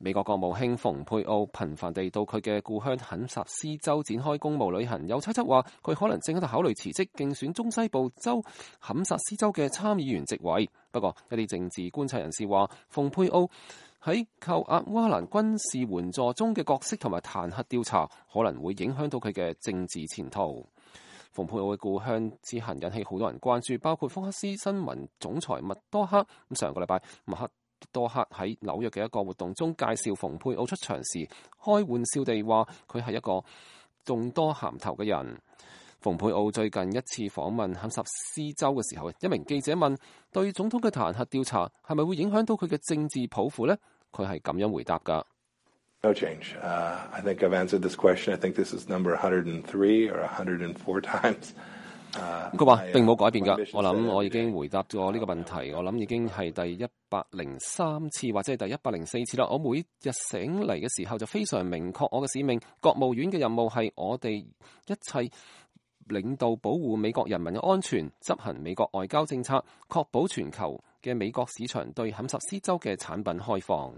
美國國務卿蓬佩奧頻繁地到佢嘅故鄉肯薩斯州展開公務旅行，有猜測話佢可能正喺度考慮辭職競選中西部州肯薩斯州嘅參議員席位。不過一啲政治觀察人士話，蓬佩奧喺扣押烏克蘭軍事援助中嘅角色同埋彈劾調查可能會影響到佢嘅政治前途。蓬佩奧嘅故鄉之行引起好多人關注，包括福克斯新聞總裁麥多克。上個禮拜麥多克喺紐約嘅一個活動中介紹蓬佩奧出場時，開玩笑地話佢係一個眾多銜頭嘅人。蓬佩奧最近一次訪問肯薩斯州嘅時候，一名記者問對總統嘅彈劾調查係咪會影響到佢嘅政治抱負呢？佢係咁樣回答㗎。No change. I think I've answered this question. I think this is number 103 or 104 times. 佢話並冇改變㗎。我諗我已經回答咗呢個問題。我諗已經係第103次或者係第104次啦。我每日醒嚟嘅時候就非常明確我嘅使命。國務院嘅任務係我哋一切領導保護美國人民嘅安全，執行美國外交政策，確保全球嘅美國市場對肯薩斯州嘅產品開放。